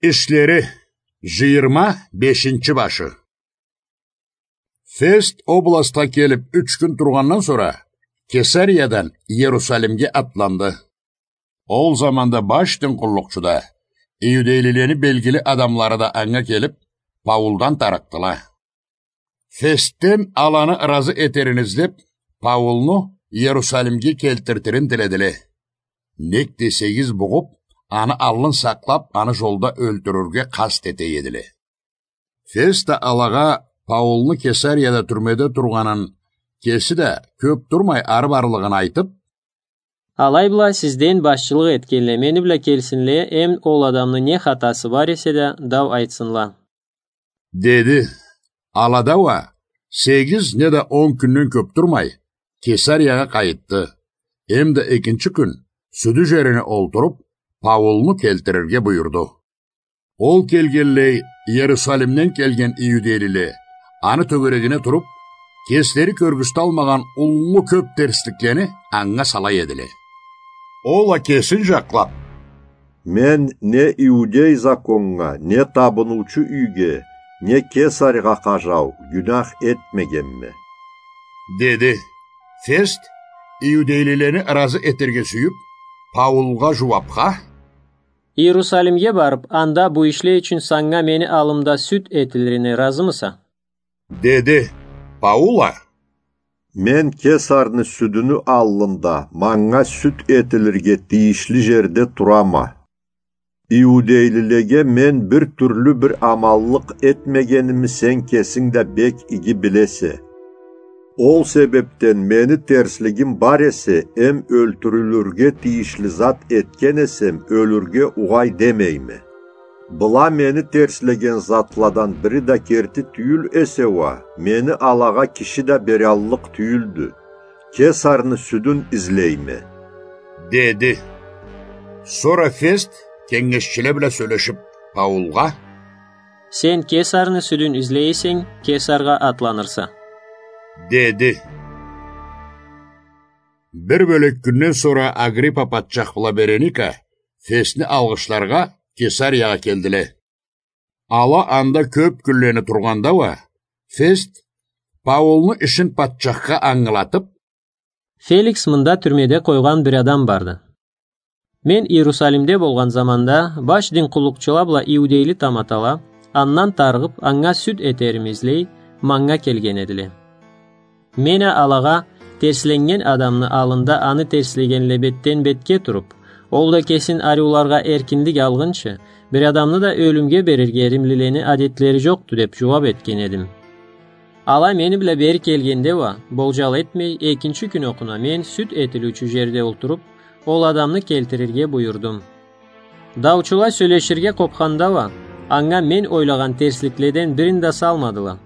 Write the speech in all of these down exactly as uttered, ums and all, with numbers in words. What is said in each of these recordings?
Ишлери, жыйырма бешинчи башы. Фест областха келип юч кюн тургъандан сора, Кесариядан Иерусалимге атланды. Ол заманда баш дин къуллукъчу да, иудейлилени белгили адамлары да анга келип, Паулдан тарыкъдыла. Фесттен аланы ыразы этерин излеп, Паулну Иерусалимге келтиртирин тиледиле. Нек десегиз, бугъуп, аны аллын сакълап, аны жолда ёлтюрюрге къаст эте эдиле. Фест да алагъа Паулну Кесарияда тюрмеде тургъанын, кеси да кёп турмай ары барлыгъын айтып: «Алай бла сизден башчылыкъ этгенле мени бла келсинле, эм ол адамны не хатасы бар эсе да, дау айтсынла», — деди. Ала да уа сегиз неда он кюнден кёп турмай, Кесариягъа къайытды. Эм да экинчи кюн сюдю жерине олтуруп, Паулну келтирирге буюрду. Ол келгенлей, Иерусалимден келген иудейлиле аны тёгерегине туруп, кеслери кёргюзталмагъан уллу кёп терсликлени анга сала эдиле. Ол а кесин жакълап: «Мен не иудей законнга, не табыныучу юйге, не Кесарьгъа къажау гюнах этмегенме», — деди. Фест, иудейлилени ыразы этерге сюйюп, Паулгъа жууапха: «Иерусалимге барып, анда бу ишле ючюн санга мени аллымда сюд этилирине ыразымыса?» — деди. Паул а: «Мен Кесарны сюдюню аллында манга сюд этилирге тийишли жерде турама. Иудейлилеге мен бир тюрлю бир аманлыкъ этмегеними сен кесинг да бек иги билесе. Ол себепден мени терслигим бар эсе, эм ёлтюрюлюрге тийишли зат этген эсем, ёлюрге угъай демейме. Была мени терслеген затладан бири да керти тюйюл эсе уа, мени алагъа киши да бераллыкъ тюйюлдю. Кесарны сюдюн излейме», — деди. Сора Фест кенгешчиле бла сёлешип, Паулгъа: «Сен Кесарны сюдюн излей эсенг, Кесаргъа атланырса», — деди. Бир бёлек кюнден сора Агриппа патчах бла Береника Фестни алгъышларгъа Кесариягъа келдиле. Ала анда кёп кюнлени тургъанда уа, Фест Паулну ишин патчахха ангылатып: «Феликс мында тюрмеде къойгъан бир адам барды. Мен Иерусалимде болгъан заманда баш дин къуллукъчула бла иудейли таматала андан тарыгъып, анга сюд этерими излей, манга келген эдиле. Мен а алагъа, терсленнген адамны аллында аны терслегенле бетден-бетге туруп, ол да кесин ариуларгъа эркинлик алгъынчы, бир адамны да ёлюмге берирге римлилени адетлери жокъду деп жууап этген эдим. Ала мени бла бери келгенде уа, болжал этмей, экинчи кюн окъуна мен сюд этилиучю жерде олтуруп, ол адамны келтирирге буюрдум. Даучула сёлеширге къопханда уа, анга мен ойлагъан терсликледен бирин да салмадыла.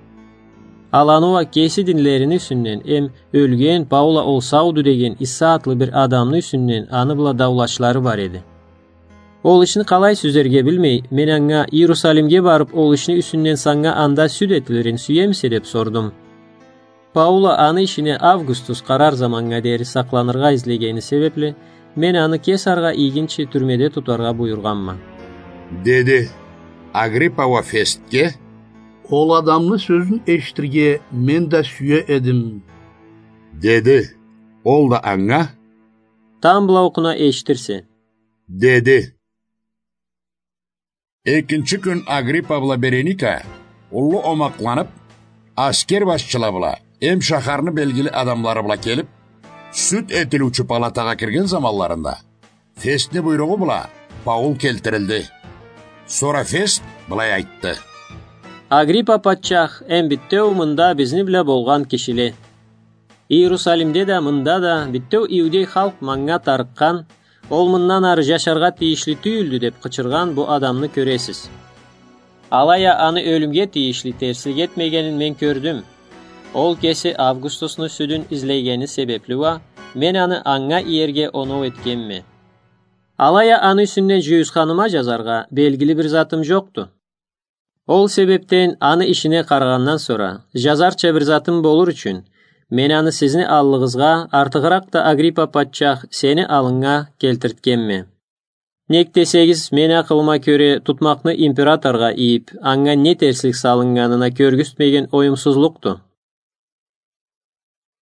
Аланы уа кеси динлерини юсюнден эм ёлген, Паул а ол сауду деген Иса атлы бир адамны юсюнден аны бла даулашлары бар эди. Ол ишни къалай сюзерге билмей, мен анга: „Иерусалимге барып, ол ишни юсюнден санга анда сюд этилирин сюемисе?“ – деп сордум. Паул а аны ишине Августус къарар заманнга дери сакъланыргъа излегени себепли, мен аны Кесаргъа ийгинчи тюрмеде тутаргъа буюргъанма. Деди. Агриппа уа Фестге: „Ол адамны сёзюн эшитирге мен да сюе эдим“, – деди. Ол да анга: „Тамбла окъуна эшитирсе“, – деди. Экинчи кюн Агриппа бла Береника уллу омакъланып, аскер башчыла бла эм шахарны белгили адамлары бла келип, сюд этилиучю палатагъа кирген заманларында, Фестни буйругъу бла Паул келтирилди. Сора Фест былай айтды: „Агриппа патчах, эм битеу мында бизни бла болгъан кишиле. Иерусалимде да, мында да битеу иудей халкъ манга тарыкъгъан, ол мындан ары жашаргъа тийишли тюйюлдю деп къычыргъан бу адамны кёресиз. Алай а аны ёлюмге тийишли терслик этмегенин мен кёрдюм. Ол кеси Августусну сюдюн излегени себепли уа мен аны анга иерге оноу этгенме. Алай а аны юсюнден жюйюсханыма жазаргъа белгили бир затым жокъду. Ол себепден аны ишине къарагъандан сора, жазарча бир затым болур ючюн, мен аны сизни аллыгъызгъа, артыгъыракъ да Агриппа патчах, сени аллынга келтиртгенме“. Нек десегиз, мени акъылыма кёре, тутмакъны императоргъа ийип, анга не терслик салыннганына кёргюзтмеген оюмсузлукъду.